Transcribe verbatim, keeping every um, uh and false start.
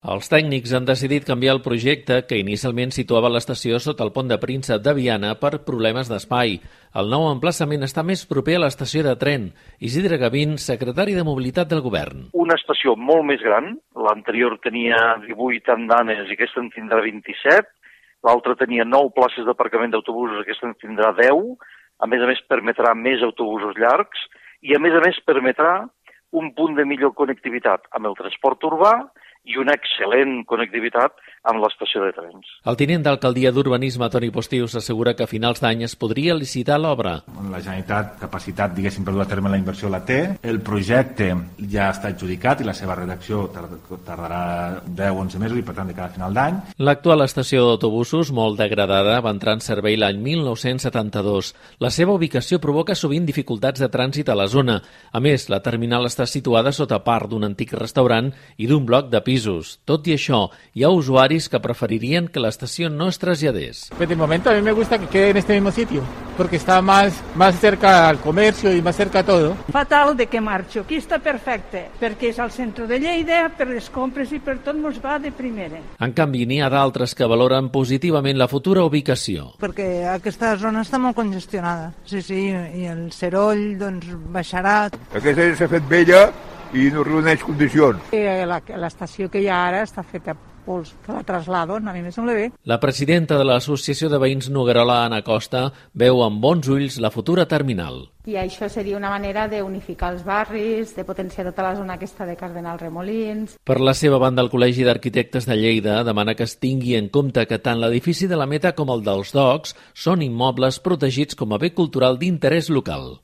Els tècnics han decidit canviar el projecte que inicialment situava l'estació sota el pont de Príncep de Viana per problemes d'espai. El nou emplaçament està més proper a l'estació de tren. Isidre Gavín, secretari de Mobilitat del Govern. Una estació molt més gran, l'anterior tenia divuit andanes i aquesta en tindrà vint-i-set, l'altra tenia nou places d'aparcament d'autobusos, aquesta en tindrà deu, a més a més permetrà més autobusos llargs i a més a més permetrà un punt de millor connectivitat amb el transport urbà i una excel·lent connectivitat amb l'estació de trens. El tinent d'alcaldia d'Urbanisme, Toni Postius, assegura que a finals d'any es podria licitar l'obra. La Generalitat, capacitat, diguéssim, per dur a terme la inversió la té. El projecte ja està adjudicat i la seva redacció tardarà deu o onze mesos i, per tant, de cada final d'any. L'actual estació d'autobusos, molt degradada, va entrar en servei l'any mil nou-cents setanta-dos. La seva ubicació provoca sovint dificultats de trànsit a la zona. A més, la terminal està situada sota part d'un antic restaurant i d'un bloc de pisos. Tot i això, hi ha usuaris que preferirien que la estación no es traslladés. Pues de momento a mí me gusta que quede en este mismo sitio, porque está más, más cerca al comercio y más cerca a todo. Fatal de que marxo. Aquí està perfecte, perquè és al centre de Lleida, per les compres i per tot mos va de primera. En canvi, n'hi ha d'altres que valoren positivament la futura ubicació. Perquè aquesta zona està molt congestionada. Sí, sí, i el Seroll doncs, baixarà. Aquesta s'ha fet vella i no reuneix condicions. L'estació que hi ha ara està feta pols, que la traslado, a mi me sembla bé. La presidenta de l'Associació de Veïns Noguerola, Ana Costa, veu amb bons ulls la futura terminal. I això seria una manera d'unificar els barris, de potenciar tota la zona aquesta de Cardenal Remolins. Per la seva banda, el Col·legi d'Arquitectes de Lleida demana que es tingui en compte que tant l'edifici de la Meta com el dels Docs són immobles protegits com a bé cultural d'interès local.